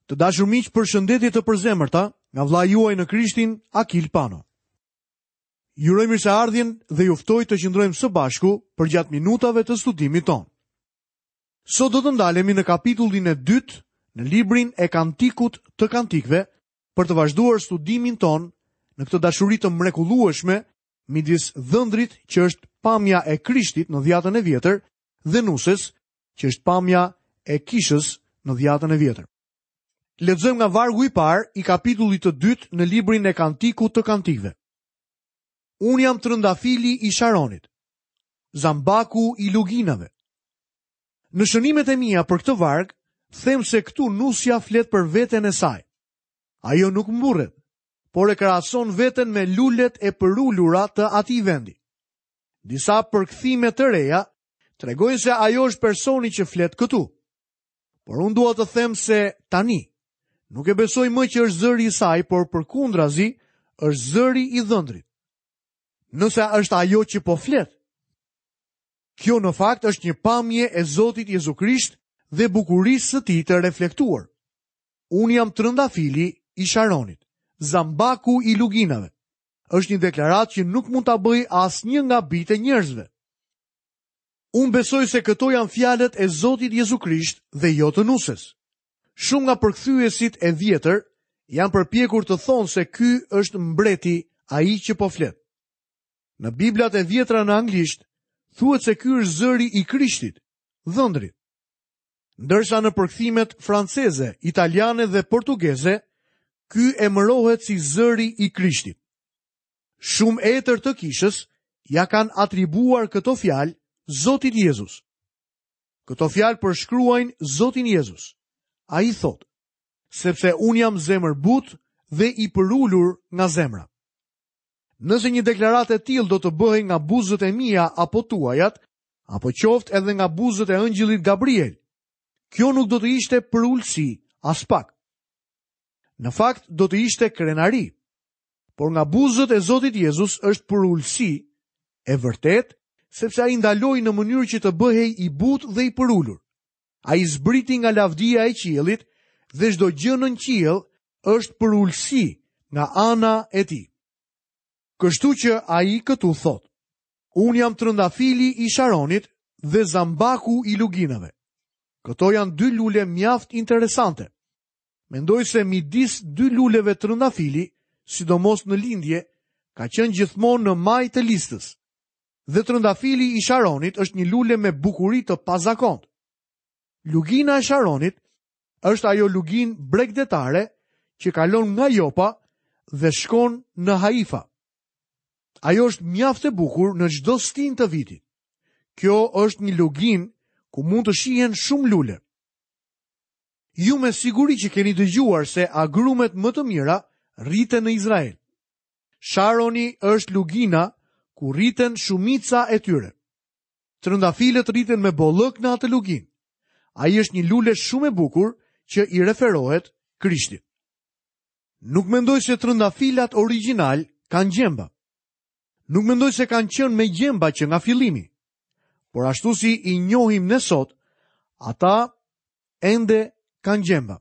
Të dashur miq, përshëndetje të përzemërta nga vëllai juaj në Krishtin, Akil Pano. Ju uroj mirëseardhjen dhe ju ftoj të qëndrojmë së bashku përgjatë minutave të studimit tonë. Sot do të ndalemi në kapitullin e dytë në librin e Kantikut të Kantikëve për të vazhduar studimin tonë në këtë dashuri të mrekullueshme midis dhëndrit që është pamja e Krishtit në dhjatën e vjetër dhe nuses që është pamja e kishës në dhjatën e vjetër. Lexojmë nga vargu i parë i kapitullit të dytë në librin e Kantikut të Kantikëve. Unë jam trëndafili i Sharonit, zambaku i luginave. Në shënimet e mia për këtë varg, them se këtu nusja flet për veten e saj. Ajo nuk mburret, por e krahason veten me lulet e përulura të atij vendi. Disa përkthime të reja tregojnë se ajo është personi që flet këtu. Por unë dua të them se tani nuk e besoj më që është zëri i saj, por përkundrazi është zëri i dhëndrit. Nëse është ajo që po flet. Kjo në fakt është një pamje e Zotit Jezu Krisht dhe bukurisë së tij të reflektuar. Unë jam trëndafili i Sharonit, zambaku i luginave. Është një deklaratë që nuk mund ta bëjë asnjë nga bijtë e njerëzve. Unë besoj se këto janë fjalët e Zotit Jezu Krisht dhe jo të nuses. Shumë nga përkthyesit e vjetër janë përpjekur të thonë se ky është mbreti ai që po flet. Në Biblat e vjetra në anglisht thuhet se ky është zëri i Krishtit, dhëndrit. Ndërsa në përkthimet franceze, italiane dhe portugeze, ky emërohet si zëri i Krishtit. Shumë etër të kishës ia kanë atribuar këto fjalë Zotit Jezus. Këto fjalë përshkruajnë Zotin Jezus. Ai thotë, sepse unë jam zemërbutë dhe i përulur nga zemra. Nëse një deklaratë e tillë do të bëhej nga buzët e mia apo tuajat, apo qoftë edhe nga buzët e ëngjëllit Gabriel, kjo nuk do të ishte përulësi aspak. Në fakt do të ishte krenari. Por nga buzët e Zotit Jezus është përulësi e vërtetë, sepse ai ndaloi në mënyrë që të bëhej i butë dhe i përulur. Ai zbriti nga lavdia e qiellit dhe çdo gjë nën qiell është përulësi nga ana e tij. Kështu që ai këtu thotë, unë jam trëndafili i Sharonit dhe zambaku i luginave. Këto janë dy lule mjaft interesante. Mendoj se midis dy luleve trëndafili, sidomos në lindje, ka qenë gjithmonë në majë të listës. Dhe trëndafili i Sharonit është një lule me bukuri të pazakontë. Lugina e Sharonit është ajo luginë bregdetare që kalon nga Jopa dhe shkon në Haifa. Ajo është mjaft e bukur në çdo stinë të vitit. Kjo është një luginë ku mund të shihen shumë lule. Ju me siguri që keni dëgjuar se agrumet më të mira rriten në Izrael. Sharoni është lugina ku rriten shumica e tyre. Trëndafilët rriten me bollëk në atë luginë. Ai është një lule shumë e bukur që i referohet Krishtit. Nuk mendoj se trëndafilat origjinalë kanë gjemba. Nuk mendoj se kanë qenë me gjemba që nga fillimi. Por ashtu si i njohim ne sot, ata ende kanë gjemba.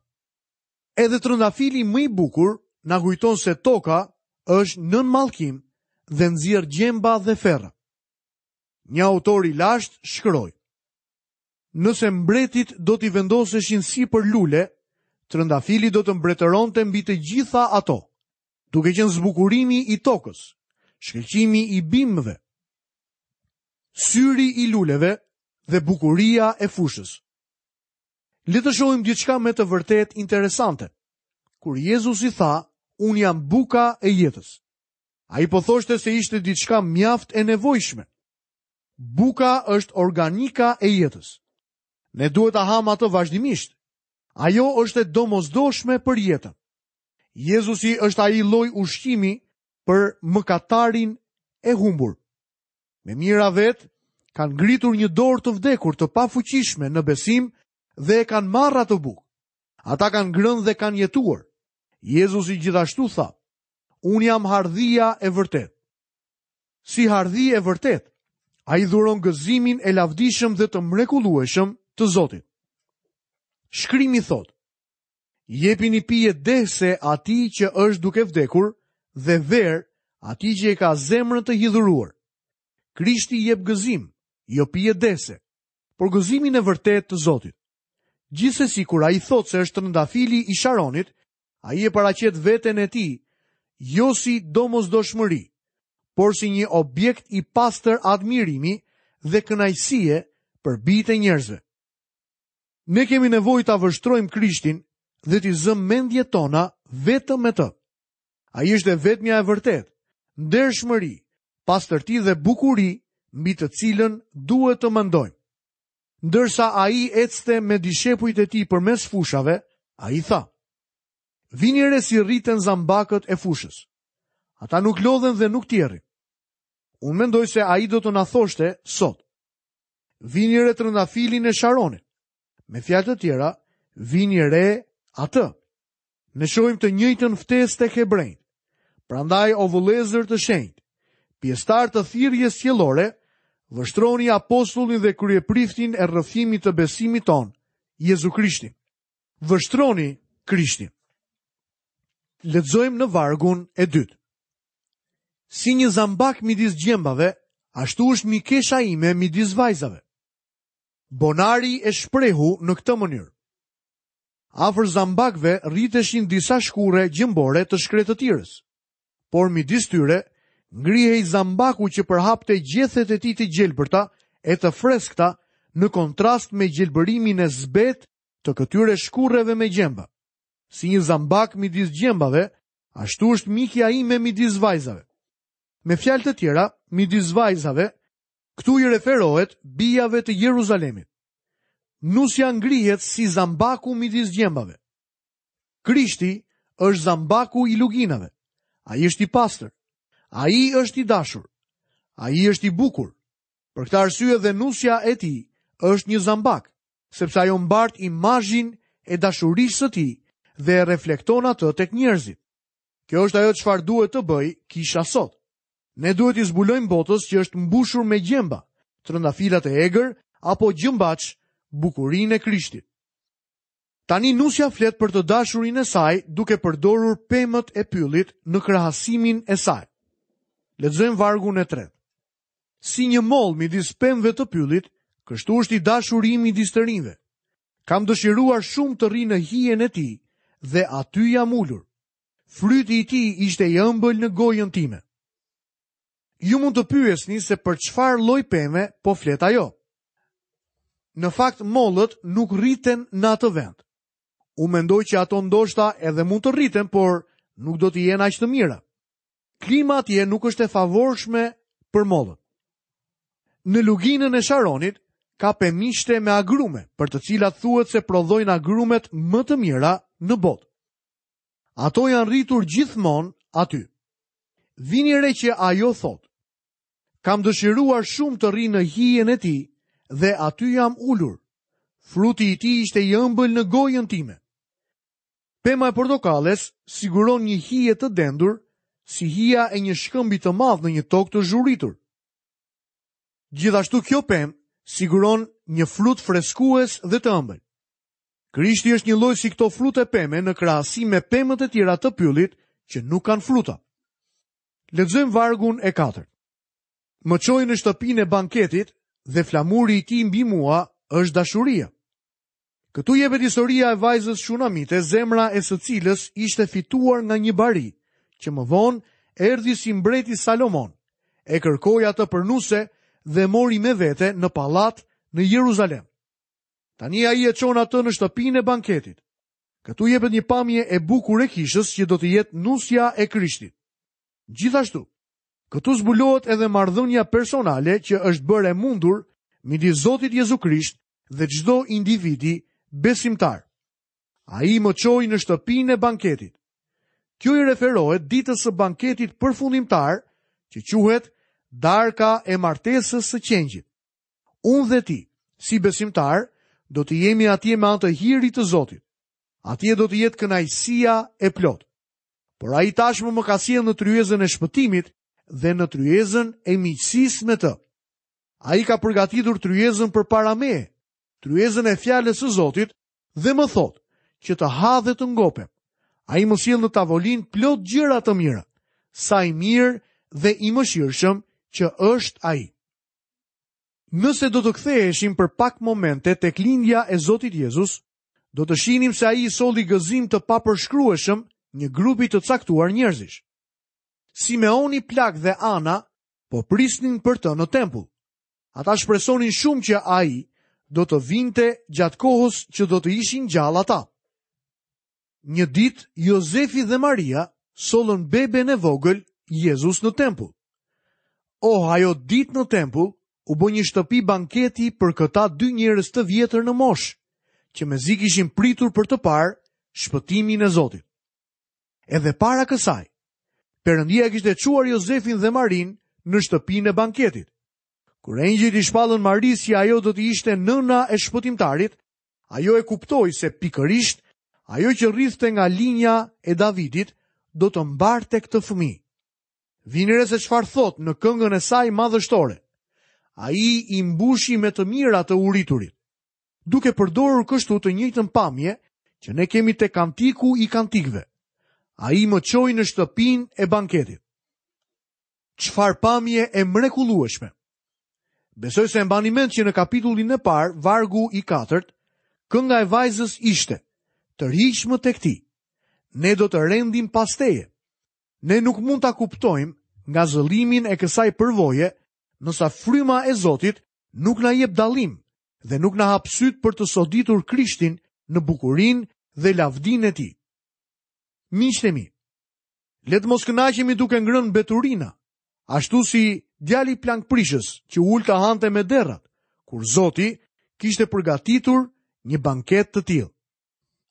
Edhe trëndafili më i bukur na kujton se toka është nën mallkim dhe nxjerr gjemba dhe ferra. Një autor i lashtë shkroi: Nëse mbretit do t'i vendoseshin sipër lule, trëndafili do të mbretëronte mbi të gjitha ato, duke qenë zbukurimi i tokës, shkëlqimi i bimëve, syri i luleve dhe bukuria e fushës. Le të shohim diçka me të vërtetë interesante. Kur Jezusi tha, unë jam buka e jetës. Ai po thoshte se ishte diçka mjaft e nevojshme. Buka është organika e jetës. Ne duhet ta hamë atë vazhdimisht. Ajo është e domosdoshme për jetën. Jezusi është ai lloj ushqimi për mëkatarin e humbur. Me mijëra vetë kanë ngritur një dorë të vdekur të pafuqishme në besim dhe e kanë marrë atë bukë. Ata kanë ngrënë dhe kanë jetuar. Jezusi gjithashtu tha, unë jam hardhia e vërtetë. Si hardhi e vërtetë, ai dhuron gëzimin e lavdishëm dhe të mrekullueshëm të Zotit. Shkrimi thotë,. Jepini pije dehëse atij që është duke vdekur dhe verë atij që e ka zemrën të hidhëruar. Krishti jep gëzim, jo pije dehëse, por gëzimin e vërtetë të Zotit. Gjithsesi kur ai thotë se është trëndafili i Sharonit, ai e paraqet veten e tij jo si domosdoshmëri, por si një objekt i pastër admirimi dhe kënaqësie për bijtë e njerëzve. Ne kemi nevojë ta vështrojmë Krishtin dhe t'i zëmë mendjet tona vetëm me të. Ai është e vetmja e vërtetë, ndershmëri, pastërti dhe bukuri mbi të cilën duhet të mendojmë. Ndërsa ai ecte me dishepujt e tij përmes fushave, ai tha: Vini re si rriten zambakët e fushës. Ata nuk lodhen dhe nuk tjerrin. Unë mendoj se ai do të na thoshte sot. Vini re trëndafilin e Sharonit. Me fjalë të tjera, vini re atë. Ne shohim të njëjtën ftesë tek hebrenjtë. Prandaj o vëllezër të shenjtë, pjesëtarë të thirrjes qiellore, vështroni apostullin dhe kryepriftin e rrëfimit të besimit tonë, Jezu Krishtin. Vështroni Krishtin. Lexojmë në vargun e dytë. Si një zambak midis gjembave, ashtu është mikesha ime midis vajzave. Bonari e shprehu në këtë mënyrë. Afër zambakëve rriteshin disa shkurre gjembore të shkretëtirës. Por midis tyre ngrihej zambaku që përhapte gjethet e tij të gjelbërta e të freskëta në kontrast me gjelbërimin e zbehtë të këtyre shkurreve me gjemba. Si një zambak midis gjembave, ashtu është mikja ime midis vajzave. Me fjalë të tjera, midis vajzave, këtu i referohet bijave të Jeruzalemit. Nusja ngrihet si zambaku midis gjembave. Krishti është zambaku i luginave. Ai është i pastër. Ai është i dashur. Ai është i bukur. Për këtë arsye dhe nusja e tij është një zambak, sepse ajo mbart imazhin e dashurisë së tij dhe e reflekton atë tek njerëzit. Kjo është ajo çfarë duhet të bëjë kisha sot. Ne duhet t'i zbulojmë botës që është mbushur me gjemba, trëndafila të egër apo gjembaç bukurinë e Krishtit. Tani nusja flet për të dashurin e saj duke përdorur pemët e pyllit në krahasimin e saj. Lexojmë vargun e tretë. Si një mollë midis pemëve të pyllit, kështu është i dashuri im midis të rinjve. Kam dëshiruar shumë të rri në hijen e tij dhe aty jam ulur. Fryti i tij ishte i ëmbël në gojën time. Ju mund të pyesni se për çfarë lloj peme po flet ajo. Në fakt mollët nuk rriten në atë vend. Unë mendoj që ato ndoshta edhe mund të rriten, por nuk do të jenë aq të mira. Klima atje nuk është e favorshme për mollët. Në luginën e Sharonit ka pemishte me agrume, për të cilat thuhet se prodhojnë agrumet më të mira në botë. Ato janë rritur gjithmonë aty. Vini re që ajo thotë, kam dëshiruar shumë të rri në hijen e tij dhe aty jam ulur. Fruti i tij ishte i ëmbël në gojën time. Pema e portokalles siguron një hije të dendur, si hija e një shkëmbi të madh në një tokë të zhuritur. Gjithashtu kjo pemë siguron një frut freskues dhe të ëmbël. Krishti është njëlloj si këto frute peme në krahasim me pemët e tjera të pyllit që nuk kanë fruta. Lexojmë vargun e katërt. Më çoi në shtëpinë e banketit dhe flamuri i tij mbi mua është dashuria. Këtu jepet historia e vajzës shunamite, zemra e së cilës ishte fituar nga një bari, që më vonë erdhi si mbreti Salomon, e kërkoi atë për nuse dhe mori me vete në pallat në Jeruzalem. Tani ai e çon atë në shtëpinë e banketit. Këtu jepet një pamje e bukur e kishës që do të jetë nusja e Krishtit. Gjithashtu, këtu zbulohet edhe marrëdhënia personale që është bërë e mundur midis Zotit Jezu Krisht dhe çdo individi besimtar. Ai më çoi në shtëpinë e banketit. Kjo i referohet ditës së banketit përfundimtar, që quhet darka e martesës së qengjit. Unë dhe ti, si besimtarë, do të jemi atje me anë të hirit të Zotit. Atje do të jetë kënaqësia e plotë. Por ai tashmë më ka sjellë në tryezën e shpëtimit dhe në tryezën e miqësisë me të. Ai ka përgatitur tryezën përpara meje, tryezën e fjalës së Zotit dhe më thotë. që të ha dhe të ngopem. Ai më sjell në tavolinë plot gjëra të mira. Sa i mirë dhe i mëshirshëm që është ai. Nëse do të ktheheshim për pak momente tek lindja e Zotit Jezus, do të shihnim se ai i solli gëzim të papërshkrueshëm një grupi të caktuar njerëzish. Simeoni plak dhe Ana po prisnin për të në tempull. Ata shpresonin shumë që ai do të vinte gjatë kohës që do të ishin gjallë ata. Një ditë Jozefi dhe Maria sollën beben e vogël Jezus në tempull. Oh, ajo ditë në tempull u bë një shtëpi banketi për këta dy njerëz të vjetër në moshë, që mezi kishin pritur për të parë shpëtimin e Zotit. Edhe para kësaj, Perëndia e kishte çuar Jozefin dhe Marinë në shtëpinë e banketit. Kur engjëjt i shpallën Marisë që ajo do të ishte nëna e shpëtimtarit, ajo e kuptoi se pikërisht ajo që rridhte nga linja e Davidit do të mbarte këtë fëmijë. Vini re se çfarë thotë në këngën e saj madhështore. Ai i mbushi me të mira të uriturit. Duke përdorur kështu të njëjtën pamje që ne kemi te kantiku i kantikëve. Ai më çoi në shtëpinë e banketit. Çfarë pamje e mrekullueshme! Besoj se e mbani mend që në kapitullin e parë, vargu i katërt, kënga e vajzës ishte: Tërhiqmë tek ti. Ne do të rendim pas teje. Ne nuk mund ta kuptojmë ngazëllimin e kësaj përvoje, nëse fryma e Zotit nuk na jep dallim dhe nuk na hap sytë për të soditur Krishtin në bukurinë dhe lavdinë e tij. Miqtë e mi, le të mos kënaqemi duke ngrënë mbeturina, ashtu si djali plangprishës që u ul të hante me derrat, kur Zoti kishte përgatitur një banket të tillë.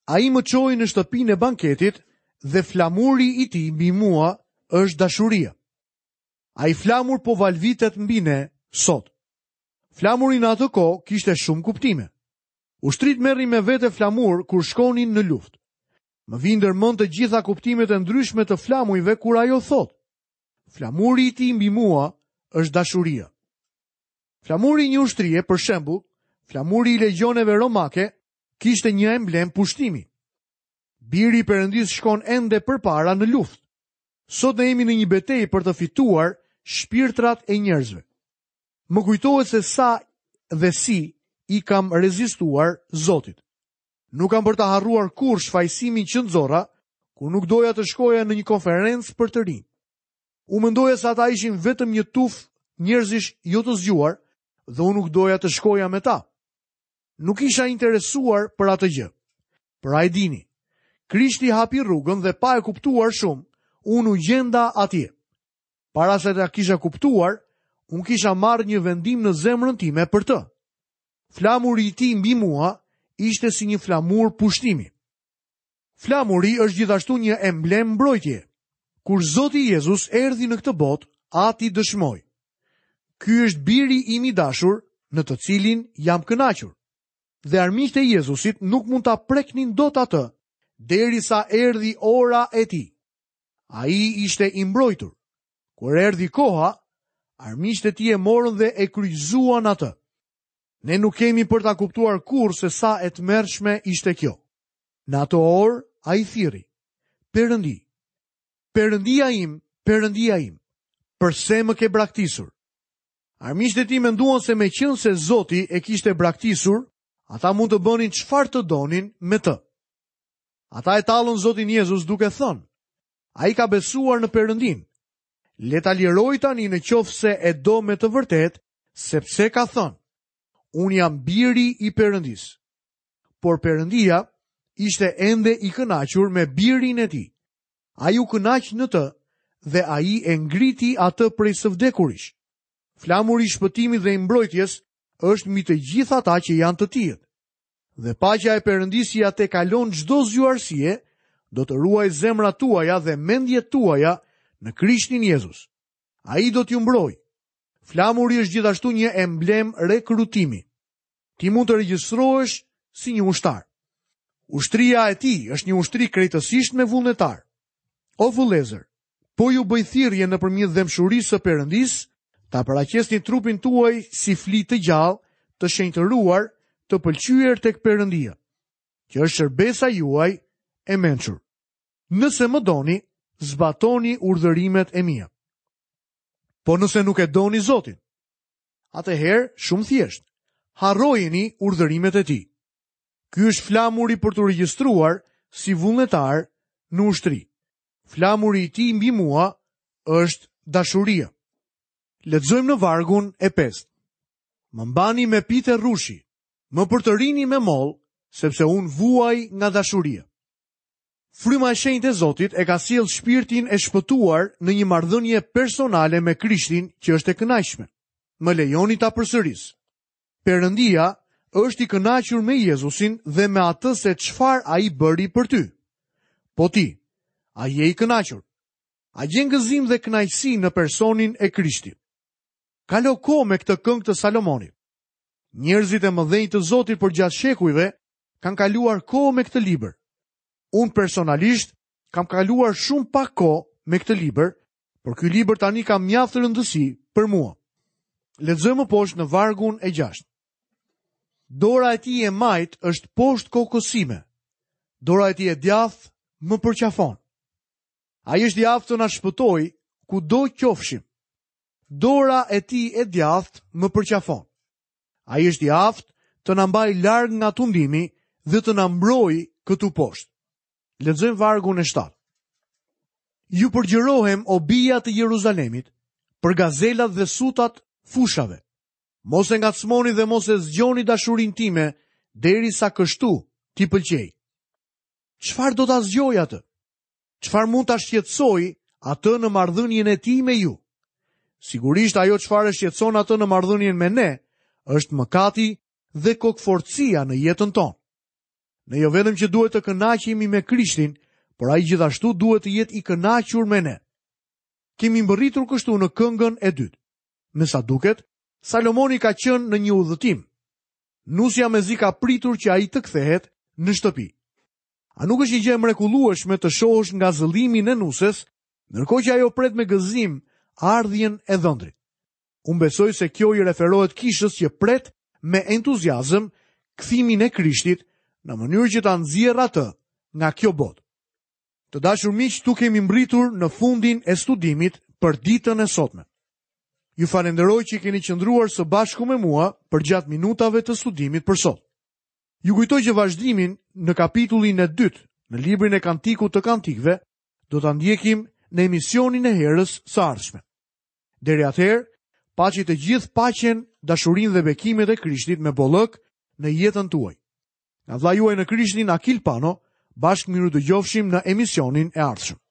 Ai më çoi në shtëpinë e banketit dhe flamuri i tij mbi mua është dashuria. Ai flamur po valvitet mbi ne sot. Flamuri në atë kohë kishte shumë kuptime. Ushtritë merrnin me vete flamur kur shkonin në luftë. Më vijnë ndër mend të gjitha kuptimet e ndryshme të flamujve kur ajo thotë: Flamuri i tij mbi mua është dashuria. Flamuri i një ushtrie, për shembull, flamuri i legjioneve romake, kishte një emblemë pushtimi. Biri i Perëndisë shkon ende përpara në luftë. Sot ne jemi në një betejë për të fituar shpirtrat e njerëzve. Më kujtohet se sa dhe si i kam rezistuar Zotit. Nuk kam për ta harruar kurrë shfajësimin që nxorra, kur nuk doja të shkoja në një konferencë për të rinj. Unë mendoja se ata ishin vetëm një tufë njerëzish jo të zgjuar dhe unë nuk doja të shkoja me ta. Nuk isha interesuar për atë gjë. Por a e dini, Krishti hapi rrugën dhe pa e kuptuar shumë, unë u gjenda atje. Para se ta kisha kuptuar, unë kisha marrë një vendim në zemrën time për të. Flamuri i tij mbi mua ishte si një flamur pushtimi. Flamuri është gjithashtu një emblemë mbrojtje. Kur Zoti Jezus erdhi në këtë botë, Ati dëshmoi. Ky është biri im i dashur, në të cilin jam kënaqur. Dhe armiqtë e Jezusit nuk mund ta preknin dot atë, derisa erdhi ora e tij. Ai ishte i mbrojtur. Kur erdhi koha, armiqtë e tij e morën dhe e kryqëzuan atë. Ne nuk kemi për ta kuptuar kurrë se sa e tmerrshme ishte kjo. Në atë orë ai thirri: Perëndi, Perëndia im, Perëndia im, përse më ke braktisur? Armiqtë e tij menduan se meqenëse Zoti e kishte braktisur, ata mund të bënin çfarë të donin me të. Ata e tallën Zotin Jezus duke thënë, ai ka besuar në Perëndinë. Le ta lirojë tani në qoftë se e do me të vërtetë, sepse ka thënë, unë jam biri i Perëndisë. Por Perëndia ishte ende i kënaqur me birin e tij. Ai u kënaq në të dhe ai e ngriti atë prej së vdekurish. Flamuri i shpëtimit dhe i mbrojtjes është mbi të gjithë ata që janë të tijët. Dhe paqja e Perëndisë që ia tejkalon çdo zgjuarsie, do të ruajë zemrat tuaja dhe mendjet tuaja në Krishtin Jezus. Ai do t'ju mbrojë. Flamuri është gjithashtu një emblemë rekrutimi. Ti mund të regjistrohesh si një ushtar. Ushtria e tij është një ushtri krejtësisht me vullnetarë. O vëllezër, po ju bëj thirrje nëpërmjet dhembshurisë së Perëndisë, ta paraqesni trupin tuaj si fli të gjallë, të shenjtëruar, të pëlqyer tek Perëndia. që është shërbesa juaj e mençur. Nëse më doni, zbatoni urdhërimet e mia. Po nëse nuk e doni Zotin, atëherë shumë thjesht, harrojini urdhërimet e tij. Ky është flamuri për t'u regjistruar si vullnetar në ushtri. Flamuri i tij mbi mua është dashuria. Lexojmë në vargun e pestë. Më mbani me pite rrushi, më përtërini me mollë, sepse unë vuaj nga dashuria. Fryma e shenjtë e Zotit e ka sjellë shpirtin e shpëtuar në një marrëdhënie personale me Krishtin që është e kënaqshme. Më lejoni ta përsëris. Perëndia është i kënaqur me Jezusin dhe me atë se çfarë ai bëri për ty. Po ti, a je i kënaqur? A gjen gëzim dhe kënaqësi në personin e Krishtit? Kalo kohë me këtë këngë të Salomonit. Njerëzit e mëdhenj të Zotit përgjatë shekujve kanë kaluar kohë me këtë libër. Unë personalisht kam kaluar shumë pak kohë me këtë libër, por ky libër tani ka mjaft rëndësi për mua. Lexojmë më poshtë në vargun e 6. Dora e tij e majtë është poshtë kokës sime. Dora e tij e djathtë më përqafon. Ai është i aftë të na shpëtojë kudo qofshim. Dora e tij e djathtë më përqafon. Ai është i aftë të na mbajë larg nga tundimi dhe të na mbrojë këtu poshtë. Lexojmë vargun e 7. Ju përgjërohem o bija të Jeruzalemit, për gazelat dhe sutat fushave. Mos e ngacmoni dhe mos e zgjoni dashurinë time derisa kështu t'i pëlqejë. Çfarë do ta zgjojë atë? Çfarë mund ta shqetësojë atë në marrëdhënien e tij me ju? Sigurisht ajo çfarë e shqetëson atë në marrëdhënien me ne është mëkati dhe kokëfortësia në jetën tonë. Ne jo vetëm që duhet të kënaqemi me Krishtin, por ai gjithashtu duhet të jetë i kënaqur me ne. Kemi mbërritur kështu në këngën e dytë. Me sa duket, Salomoni ka qenë në një udhëtim. Nusja mezi ka pritur që ai të kthehet në shtëpi. A nuk është një gjë e mrekullueshme të shohësh ngazëllimin e nuses, ndërkohë që ajo pret me gëzim ardhjen e dhëndrit? Unë besoj se kjo i referohet kishës që pret me entuziazëm kthimin e Krishtit në mënyrë që ta nxjerrë atë nga kjo botë. Të dashur miq, këtu kemi mbërritur në fundin e studimit për ditën e sotme. Ju falenderoj që keni qëndruar së bashku me mua përgjatë minutave të studimit për sot. Ju kujtoj që vazhdimin në kapitullin e dytë në librin e Kantikut të Kantikëve do ta ndjekim në emisionin e herës së ardhshme. Deri atëherë, paçi të gjithë paqen, dashurinë dhe bekimet e Krishtit me bollëk në jetën tuaj. Nga vëllai juaj në Krishtin Akil Pano, bashkë mirudëgjofshim në emisionin e ardhshëm.